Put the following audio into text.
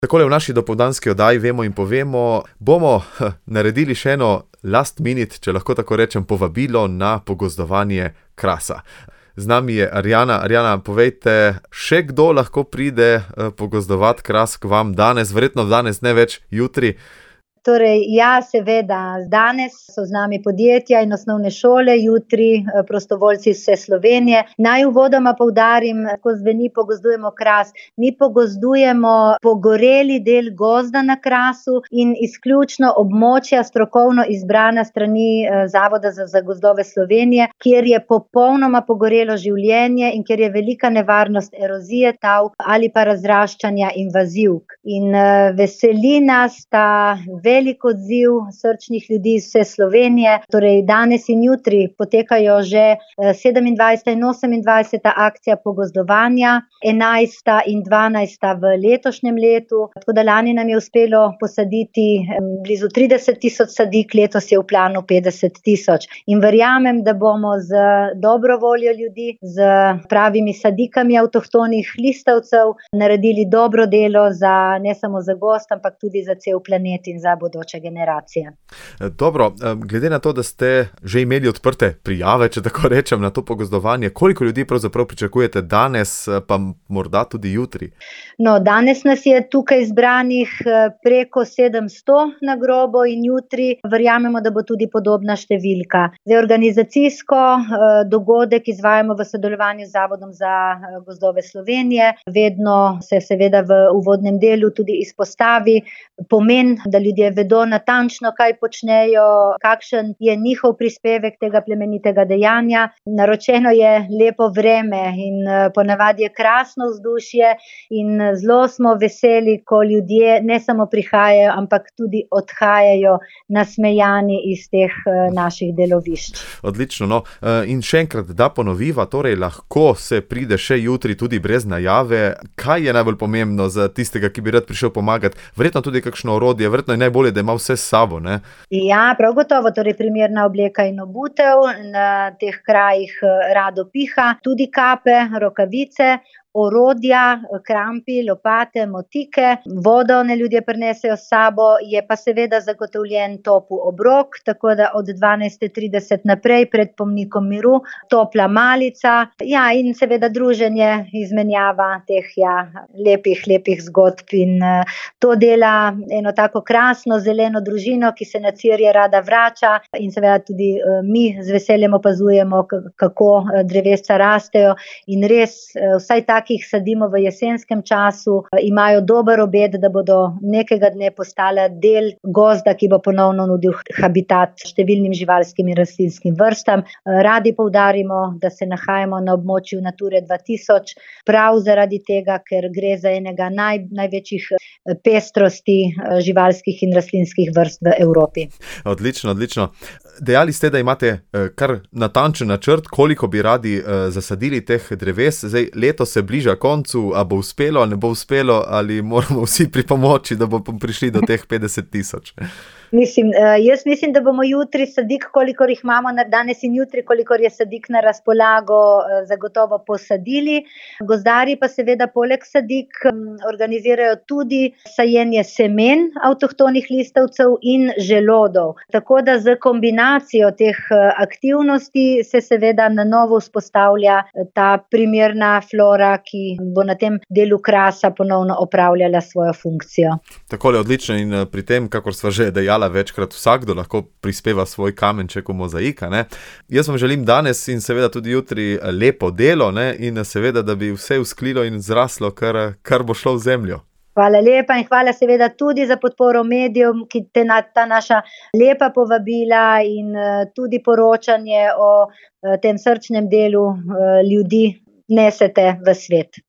Takole v naši dopoldanski oddaji Vemo in povemo, bomo naredili še eno last minute, če lahko tako rečem, povabilo na pogozdovanje krasa. Z nami je Arjana. Arjana, povejte, še kdo lahko pride pogozdovat kras k vam danes, verjetno danes, ne več jutri? Torej, ja, seveda, danes so z nami podjetja in osnovne šole, jutri prostovoljci iz vse Slovenije. Naj uvodoma poudarim, ko zveni pogozdujemo kras, mi pogozdujemo pogoreli del gozda na Krasu in izključno območja strokovno izbrana strani Zavoda za gozdove Slovenije, kjer je popolnoma pogorelo življenje in kjer je velika nevarnost erozije tal ali pa razraščanja invazivk. In veseli nas ta velik odziv srčnih ljudi iz vse Slovenije. Torej, danes in jutri potekajo že 27. in 28. akcija pogozdovanja, 11. in 12. v letošnjem letu. Tako da lani nam je uspelo posaditi blizu 30.000 sadik, letos je v planu 50.000. In verjamem, da bomo z dobro voljo ljudi, z pravimi sadikami avtohtonih listavcev naredili dobro delo ne samo za gozd, ampak tudi za cel planet in za bodoče generacije. Dobro, glede na to, da ste že imeli odprte prijave, če tako rečem, na to pogozdovanje, koliko ljudi pravzaprav pričakujete danes, pa morda tudi jutri? No, danes nas je tukaj zbranih preko 700 na grobo in jutri verjamemo, da bo tudi podobna številka. Zdaj, organizacijsko dogodek izvajamo v sodelovanju z Zavodom za gozdove Slovenije. Vedno se seveda v uvodnem delu tudi izpostavi pomen, da ljudje vedo natančno, kaj počnejo, kakšen je njihov prispevek tega plemenitega dejanja. Naročeno je lepo vreme in ponavadi je krasno vzdušje in zelo smo veseli, ko ljudje ne samo prihajajo, ampak tudi odhajajo nasmejani iz teh naših delovišč. Odlično, no. In še enkrat, da ponoviva, torej lahko se pride še jutri tudi brez najave. Kaj je najbolj pomembno za tistega, ki bi rad prišel pomagati? Verjetno tudi kakšno orodje, verjetno je najbolje, da ima vse s sabo, ne? Ja, prav gotovo, torej primerna obleka in obutev, na teh krajih rado piha, tudi kape, rokavice, orodja, krampi, lopate, motike, vodo ne ljudje prinesejo s sabo, je pa seveda zagotovljen topel obrok, tako da od 12:30 naprej pred pomnikom miru, topla malica, ja, in seveda druženje, izmenjava teh, lepih zgodb in to dela eno tako krasno zeleno družino, ki se na Cirje rada vrača in seveda tudi mi z veseljem opazujemo, kako drevesca rastejo in res vsaj takih sadimo v jesenskem času, imajo dober obet, da bodo nekega dne postala del gozda, ki bo ponovno nudil habitat številnim živalskim in rastlinskim vrstam. Radi poudarimo, da se nahajamo na območju Nature 2000, prav zaradi tega, ker gre za enega največjih pestrosti živalskih in rastlinskih vrst v Evropi. Odlično, odlično. Dejali ste, da imate kar natančen načrt, koliko bi radi zasadili teh dreves. Zdaj, leto se bliža koncu, a bo uspelo, ne bo uspelo, ali moramo vsi pripomoči, da bomo prišli do teh 50.000? Jaz mislim, da bomo jutri sadik, kolikor jih imamo danes in jutri, kolikor je sadik na razpolago, zagotovo posadili. Gozdarji pa seveda poleg sadik organizirajo tudi sajenje semen avtohtonih listavcev in želodov. Tako da z kombinacijo teh aktivnosti se seveda na novo vzpostavlja ta primerna flora, ki bo na tem delu Krasa ponovno opravljala svojo funkcijo. Takole, odlično, in pri tem, kakor sva že dejala, večkrat vsakdo lahko prispeva svoj kamenček v mozaika, ne. Jaz vam želim danes in seveda tudi jutri lepo delo, ne, in seveda, da bi vse vzklilo in zraslo, kar bo šlo v zemljo. Hvala lepa in hvala seveda tudi za podporo medijev, ki ta naša lepa povabila in tudi poročanje o tem srčnem delu ljudi nesete v svet.